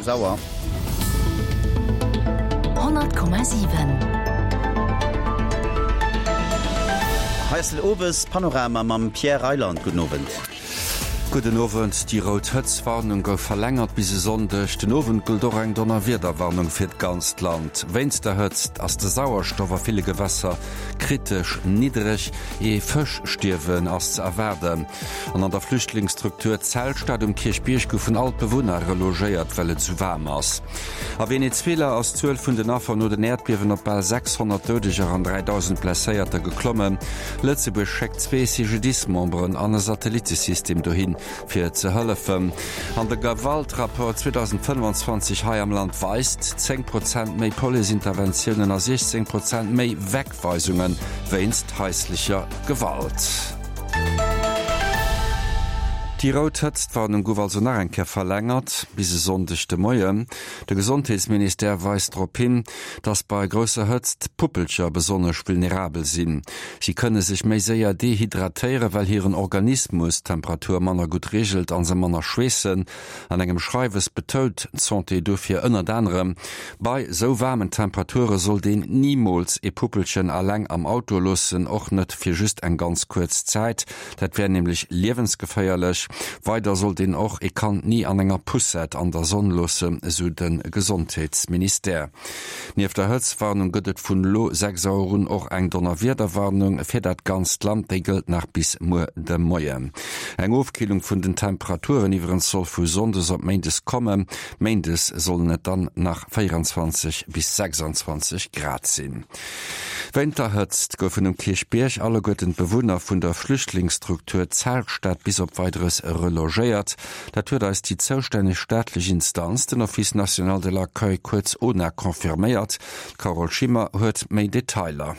6 Auer. 100,7. Hei ass den Owespanorama mam Pierre Reyland. Gudden Owend. Gudden Owend. Déi rout Hëtztwarnung gouf verlängert bis e Sonndeg. Den Owend gëllt och eng Donnerwiederwarnung fir d'ganzt Land. Wéinst der Hëtzt ass de Sauerstoff a ville Gewässer kritesch niddreg. Ee Fëschstierwen ass ze erwaarden. An an der Flüchtlingsstruktur Zeltstad um Kierchbierg goufen all d'Bewunner relogéiert, well et esou waarm ass. A Venezuela ass d'Zuel vun den Affer no den Äerdbiewen op bal 600 Doudeger an 3.000 Blesséierter geklommen. Lëtzebuerg schéckt zwee CGDIS-Memberen an e Satellittesystem dohin, fir ze hëllefen. An de Gewaltrapport 2025 hei am Land weist, 10 Prozent méi Police-Interventiounen a 16 Prozent méi Wegweisunge wéinst haislecher Gewalt. Déi rout Hëtztwarnung gouf also nach eng Kéier verlängert, bis e Sonndeg de Moien. De Gesondheetsministère weist drop hin, dass bei grousser Hëtzt d'Puppelcher besonnesch vulnerabel sinn. Si kënne sech méi séier dehydratéieren, well hiren Organismus d'Temperatur manner gutt reegelt a se manner schweessen. An engem Schreiwes betount d'Santé dofir ënnert anerem, Bei sou waarmen Temperature sollt een nimools ee Puppelchen alleng am Auto loossen, och net fir just eng ganz kuerz Zäit. Dat wär nämlech liewensgeféierlech. Weider sollt een och ee Kand ni an enger Poussette an der Sonn loossen, esou de Gesondheetsministère. Nieft der Hëtztwarnung gëtt et vun elo 6 Auer un och eng Donnerwiederwarnung fir dat ganzt Land. Déi gëllt nach bis muer de Moien. Eng Ofkillung vun den Temperaturen iwwerens soll vu Sonndes op Méindes kommen. Méindes sollen et dann nach 24 bis 26 Grad sinn. Wéint der Hëtzt goufen um Kierchbierg alleguerten d'Bewunner vun der Flüchtlingsstruktur Zeltstad bis op Weideres relogéiert. Dat huet eis déi zoustänneg staatlech Instanz, den Office national de l'accueil, kuerz ONA, confirméiert. D'Carole Schimmer huet méi Detailer.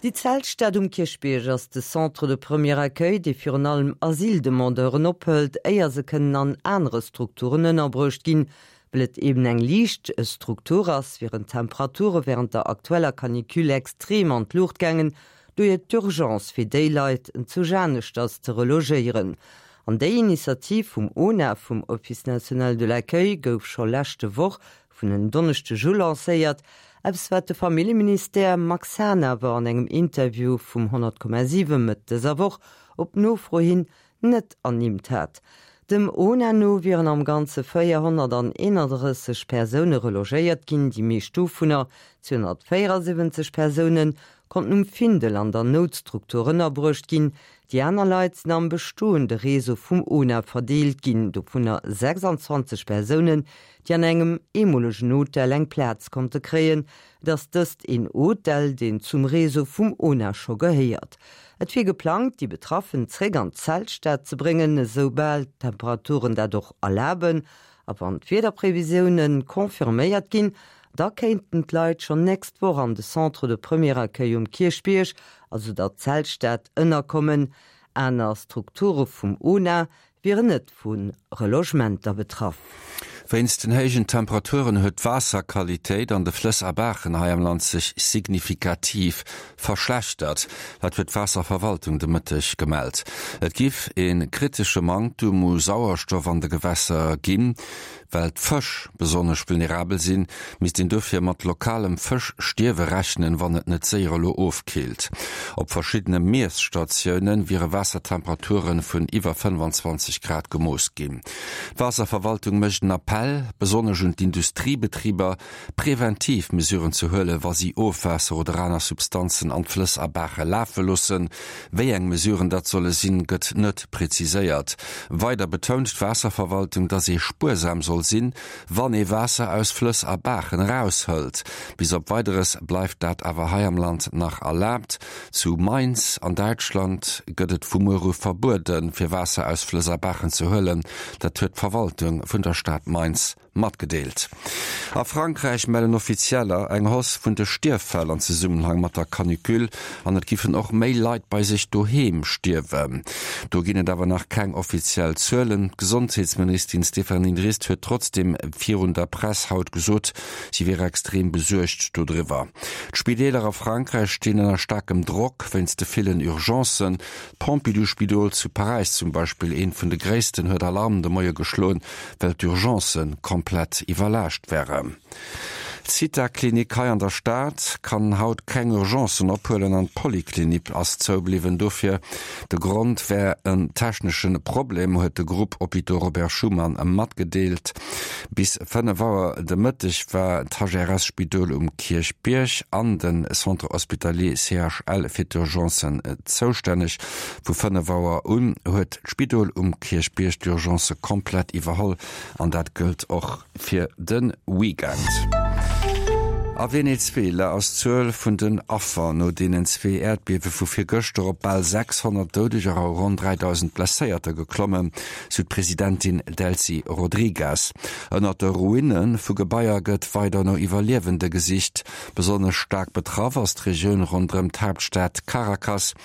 Déi Zeltstad um Kierchbierg ass de Centre de premier accueil, dee virun allem Asyldemandeuren ophëlt, éier se kënnen an anere Strukturen ënnerbruecht ginn. Well et eben eng liicht Struktur ass, wieren d'Temperature wärend der aktueller Canicule extrem an d'Luucht gaangen, dohier d'Urgence fir déi Leit zu aneschters ze relogéieren. An déi Initiativ vum ONA, vum Office national de l'accueil, gouf scho leschte Woch vun en Donneschdeg u lancéiert, eppes wat de Familljeministère Max Hahn awer an engem Interview vum 100,7 Mëtt dëser Woch op Nofro hin net ernimmt hat. Dem ONA no wieren am Ganze 431 Persoune relogéiert ginn, déi meescht dovunner, 274 Persounen, konnten um Findel an der Noutstruktur ënnerbruecht ginn. Déi aner Leit sinn am bestoende Réseau vum ONA verdeelt ginn, dovunner 26 Persounen, déi an engem eemolegen Hotel eng Plaz konnte kréien. Et ass dëst een Hotel, deen zum Réseau vum ona scho gehéiert. Et wier geplangt, déi Betraffen zréck an d'Zeltstad ze bréngen, esou bal d'Temperaturen dat och erlaben. A wann d'Wiederprevisioune confirméiert ginn, da kéinten d'Leit schonn nächst Woch an de Centre de premier accueil um Kierchbierg, also der Zeltstad, ënnerkommen. Aner Strukture vum ona wieren net vu Relogementer betraff. Wéinst den héijen Temperaturen huet d'Waasserqualitéit an de Flëss a Baachen hei am Land sech signifikativ verschlechtert. Dat huet d'Waasserverwaltung de Mëtteg gemellt. Et giff ee kritesche Manktum u Sauerstoff an de Gewässer ginn. Well d'Fësch besonnesch vulnerabel sinn, misst een dofir mat lokalem Fëschstierwe rechnen, wann et net séier elo ofkillt. Op verschiddene Miesstatioune wiere Waassertemperature vun iwwer 25 Grad gemooss ginn. D'Waasserverwaltung mécht en Appell, besonnesch un d'Industriebetriber, preventiv Mesuren ze huelen, wa si Ofwaasser oder aner Substanzen an d'Flëss a Baache lafe loossen. Wéi eng Mesuren dat solle sinn, gëtt net preziséiert. Weider betount d'Waasserverwaltung, datt ee spuersam soll sinn, wann ee Waasser aus Flëss a Baachen eraushëlt. Bis op Weideres bleift dat awer hei am Land nach erlaabt. Zu Mainz an Däitschland gëtt et vu muer u verbueden, fir Waasser aus Flëss a Baachen ze huelen. Dat huet d'Verwaltung vun der Stad Mainz Matgedeelt. A Frankräich mellen Offizieller eng Hausse vun de Stierffäll an Zesummenhang mat der Canicule an et giffen och méi Leit bei sech doheem stierwen. Do ginn et awer nach keng offiziell Zuelen. D'Gesondheetsministerin Stéphanie Rist huet trotzdeem virun der Press haut gesot, si wier extrem besuergt dodriwwer. D'Spideeler a Frankräich stinn ënner staarkem Drock wéinst de villen Urgencen. D'Pompidou-Spidol zu Paräis zum Beispill, eent vun de gréissten, huet Alarm de Moie geschloen, well d'Urgencë. d'Urgencë komplett iwwerlaascht wären. D'Zitha-Klinik hei an der Stad kann haut keng Urgencen ophuelen an d'Poliklinik ass zoubliwwen. Dofir de Grond wär en technesche Problem, huet de Groupe Hôpitaux Robert Schuman matgedeelt. Bis 5 Auer de Mëtteg war d'HRS-Spidol um Kierchbierg an de Centre Hospitalier CHL fir d'Urgencen zoustänneg. Vu 5 Auer un huet d'Spidol um Kierchbierg d'Urgencë komplett iwwerholl an dat gëllt och fir de Weekend. A Venezuela ass d'Zuel vun den Affer no deenen zwee Äerdbiewe vu virgëschter op bal 600 Doudeger a ronn 3.000 Blesséierter geklommen, sou d'Presidentin Delcy Rodrigues. Ënnert de Ruine vu Gebaier gëtt weider no Iwwerliewende gesicht. Besonnesch staark betraff ass d'Regioun ronderëm d'Haaptstad Caracas.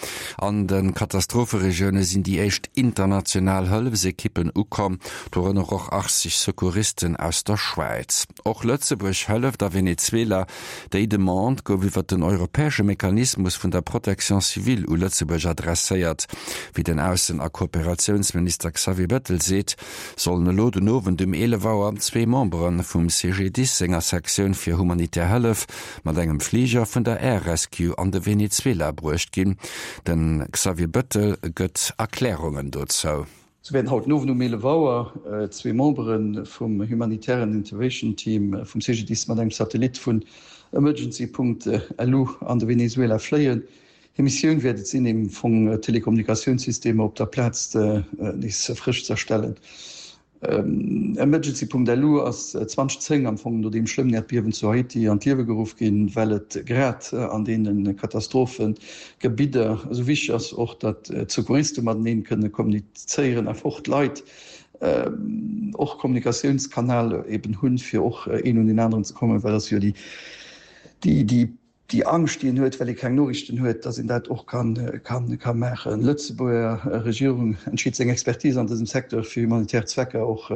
An de Katastropheregioune sinn déi éischt international Hëllefsekippen ukomm, dorënner och 80 Secouristen aus der Schwäiz. Och Lëtzebuerg hëlleft a Venezuela. Déi Demande gouf iwwer den europäesche Mechanismus vun der Protection civile u Lëtzebuerg adresséiert. Wéi den Aussen a Kooperatiounsminister Xavier Bettel seet, sollen elo den Owend um 11 Auer zwee Membere vum CGDIS senger Sektioun fir humanitär Hëllef mat engem Fliger vun der Air Rescue an de Venezuela bruecht ginn. De Xavier Bettel gëtt Erklärungen dozou. Sou wäerten haut den Owend um 11 Auer zwee Membere vum humanitären Intervention Team vum CGDIS mat engem Satellit vun Emergency. Lu an de Venezuela fléien. Hir Missioun wäert et sinn, im Fong d'Telekommunikatiounssystemer op der Plaz nees frësch z'erstellen. Emergency.lu ass 2010 am Fong no deem schlëmmen Äerdbiewen zu Haiti an d'Liewe geruff ginn, well et grad an deene Katastrophegebidder esou wichteg ass, och datt d'Secouriste mateneen kënne kommunizéieren, awer och d'Leit och Kommunikatiounskanal eben hunn, fir och een un deen aneren ze kommen, well et ass jo déi déi Déi Angscht, déi een huet, well ee keng Noriichten huet, datt een dat och ka maachen. D'Lëtzebuerger Regierung entscheet seng Expertise an dësem Secteur fir humanitär Zwecker och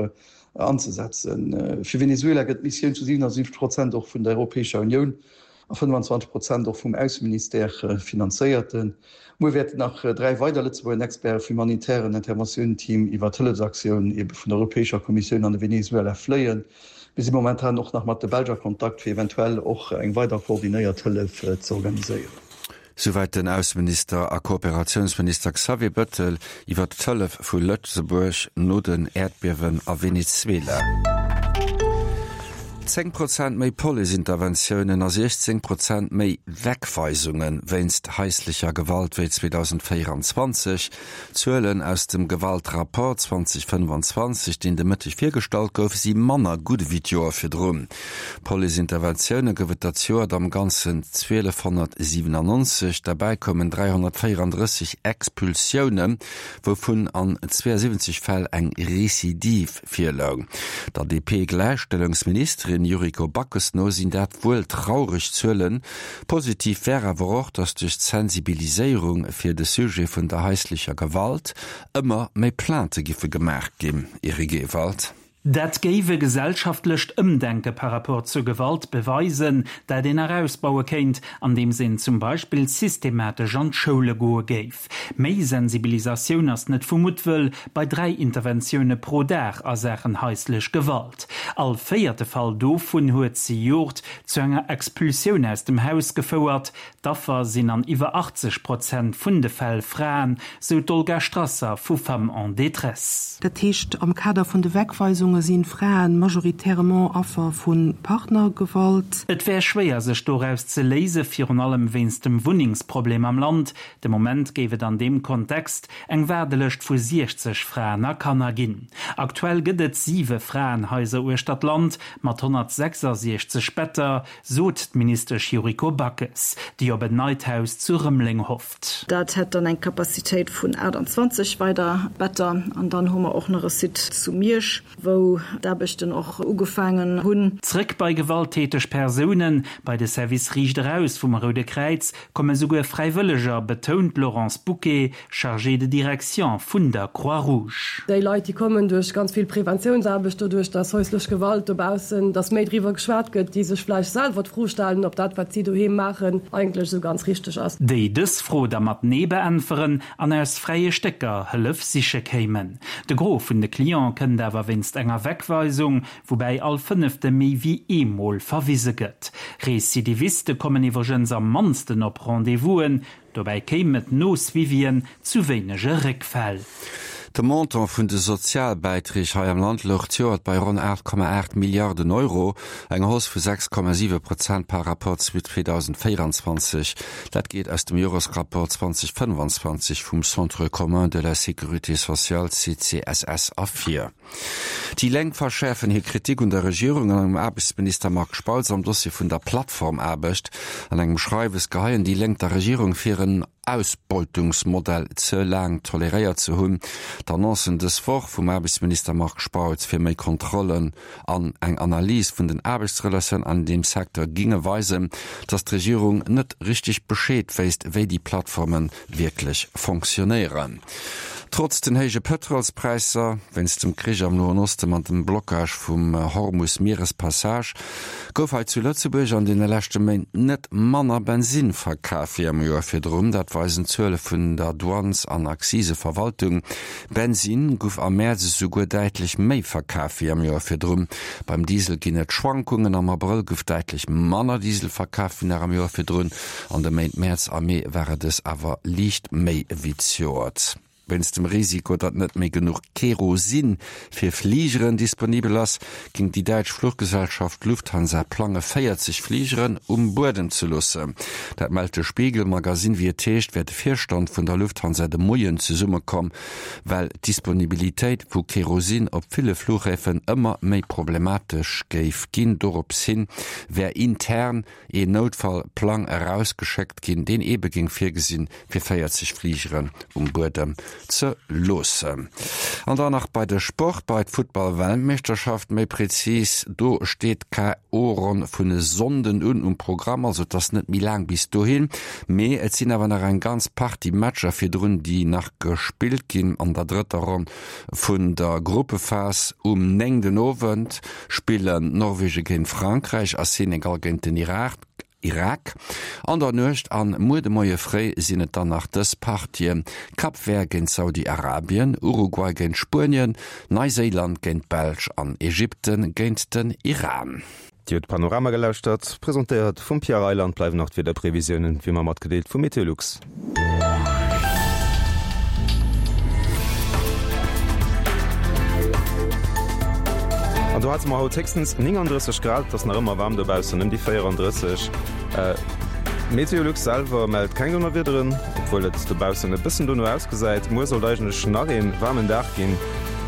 anzesetzen. Fir Venezuela gëtt d'Missioun zu 77 Prozent och vun der Europäescher Unioun a 25 Prozent och vum Ausseministère finanzéiert. Muer wäerten nach 3 weider Lëtzebuerger Experte vum humanitären Interventiounen-Team iwwer d'Hëllefsaktioun ebe vun der Europäescher Kommissioun an de Venezuela fléien. Mir si momentan och nach mat de Belsch a Kontakt, fir eventuell och eng weider koordinéiert Hëllef ze organiséieren. Souwäit den Ausseminister a Kooperatiounsminister Xavier Bettel iwwer d'Hëllef vu Lëtzebuerg no den Äerdbiewen a Venezuela. 10 Prozent méi Police-Interventiounen a 16 Prozent méi Wegweisunge wéinst haislecher Gewalt wéi 2024. D'Zuelen aus dem Gewaltrapport 2025, deen de Mëtteg virgestallt gouf, si manner gutt ewéi d'Joer virdrun. Police-Interventioune gouf et dat Joert am Ganzen 1.297, derbäi koumen 334 Expulsiounen, wouvun an 72 Fäll eng Recidive virloung. Der DP-Gläichstellungsministerin Yuriko Backes no sinn dat wuel traureg Zuelen, Positiv wär awer och, datt duerch d'Sensibiliséierung fir de Sujet vun der haislecher Gewalt ëmmer méi Plainte giffe gemaach ginn. Eric Ewald. Dat géif e gesellschaftlecht Ëmdenke par rapport zur Gewalt beweisen, dat een nach ausbaue kéint, andeems een zum Beispill systematesch an d'Schoule goe géif. Méi Sensibilisatioun ass net vu Muttwëll bei 3 Interventioune pro Dag a Saachen haislech Gewalt. All véierte Fall dovun huet zejoert zu enger Expulsioun aus dem Haus gefouert. D'Affer sinn an iwwer 80 Prozent vun de Fäll Fraen, sou d'Olga Strasser vu Femmes en détresse. Dat heescht, am Kader vun de Wegweisunge si Frae majoritairement Affer vu Partnergewalt. Et wär schwéier sech doraus ze léise, virun allem wéinst dem Wunnengsproblem am Land. De Moment géif et an deem Kontext eng Waardelëscht vu 60 Fraen a Kanner ginn. Aktuell gëtt et siwe Fraenhaiser uechter d'Land mat 166 Better, sot d'Ministesch Yuriko Backes, déi op en neit Haus zu Rëmeleng hofft. Dat hätt dann eng Capacitéit vun 28 weider Better. An dann hu mer och nach e Site zu Miersch, wou d'Aarbechten och ugefaangen hunn. Zréck bei gewalttäteg Persounen, bei de Service Riicht Eraus vum Roude Kräiz komme souguer Fräiwëlleger, betount d'Laurence Bouquet, Chargée de direction vun der Croix-Rouge. Déi Leit, déi kommen duerch ganz vill Preventiounsaarbecht, doduerch dass häuslech Gewalt dobaussen, dass méi driwwer geschwat gëtt, déi sech vläicht selwer d'Fro stellen, ob dat, wat si doheem maachen, eigentlech esou ganz richteg ass. Déi dës Fro da mat Nee beäntweren an aus fräie Stécker Hëllef siche kéimen. De Gros vun de Cliente kënnt awer wéinst enger. enger Wegweisung, woubäi all Fënnefte méi wéi eemol verwise gëtt. Recidiviste kommen iwwregens am mannsten op Rendez-vousen, Dobäi kéim et no Suivien zu wéinege Réckfäll. De Montant vun de Sozialbäiträg hei am Land louch d'Joert bei ronn 8,8 Milliarden Euro, eng Hausse vu 6,7 Prozent par rapport zu 2024. Dat geet aus dem Joresrapport 2025 vum Centre commun de la sécurité sociale, CCSS, ervir. Déi Lénk verschäerfen hir Kritik un der Regierung an um Aarbechtsminister Marc Spautz am Dossier vun der Plattformaarbecht. An engem Schreiwes geheien déi Lénk der Regierung vir, en Ausbeutungsmodell ze laang toleréiert ze hunn. D'Annoncen dës Woch vum Aarbechtsminister Marc Spautz fir méi Kontrollen an eng Analys vun den Aarbechtsrelatioun an deem Secteur ginge weisen, datt d'Regierung net richteg Bescheed wéisst, wéi déi Plattforme wierklech fonctionnéieren. Trotz den héije Pëtrolspräisser, wéinst dem Krich am Noen Osten an dem Blockage vum Hormus-Mierespassage, gouf hei zu Lëtzebuerg an deene leschte Méint net manner Bensinn verkaf wéi am Joer virdrun. Dat weisen d'Zuele vun der Douanes an Akziseverwaltung. Bensinn guff am Mäerz esouguer däitlech méi verkaf wéi am Joer virdrun. Beim Diesel ginn et Schwankungen, am Abrëll guff däitlech manner Diesel verkaf wéi nach am Joer virdrun. An de Méint Mäerz a Mee ware dës awer liicht méi ewéi zejoert. Wéinst dem Risiko, datt net méi genuch Kerosin fir Fligeren disponibel ass, géing déi däitsch Fluchgesellschaft Lufthansa plange 40 Fligeren um Buedem ze loossen. Dat mellt de Spiegel Magazine. Wéi et heescht, wär de Virstand vun der Lufthansa de Moien zesummekomm, well d'Disponibilitéit vu Kerosin op ville Fluchhäfen ëmmer méi problematesch géif ginn. Dorops hin wär intern een Noutfall-Plang erausgeschéckt ginn, deen eebe géing virgesinn, fir 40 Fligeren um Buedem ze loossen. An dann nach bei de Sport, bei d'Futtball-Weltmeeschterschaft méi prezis. Do steet d'KO-Ronn vun e Sonnden un um Programm, also et ass net méi laang bis dohin, mee et sinn awer nach eng ganz Partie Matcher virdrun, déi nach gespillt ginn an der drëtter Ronn vun der Gruppephas. Um 9 den Owend spillen Norwegen géint Frankräich a Senegal géint den Irak. An der Nuecht an muer de Moie fréi sinn et dann nach dës Partien, Cap Vert géint Saudi-Arabien, Uruguay géint Spuenien, Neiséiland géint d'Belsch an Ägypten géint den Iran. Dir hutt Panorama gelauschtert, presentéiert vum Pierre Reyland. Bleiwen nach d'Wiederprevisiounen, wéi ëmmer matgedeelt vu Meteolux. An do hate mer haut héchstens 39 Grad, et ass nach ëmmer waarm dobaussen, ëm déi 34. Meteolux selwer mellt keng Donnerwiederen, obwuel et dobaussen e bëssen dono ausgesäit. Muer sollt eigentlech nach ee waarmen Dag ginn,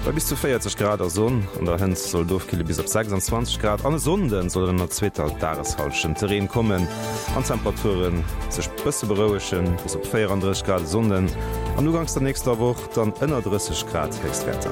bei bis zu 40 Grad a Sonn. An der Hënt soll et ofkille bis op 26 Grad an e Sonnde soll et an der zweeter Dageshallschent de Reen kommen an d'Temperature sech bësse berouegen, bis op 34 Grad e Sonnden an uganks der nächster Woch dann ënner 30 Grad Héchstwäerter.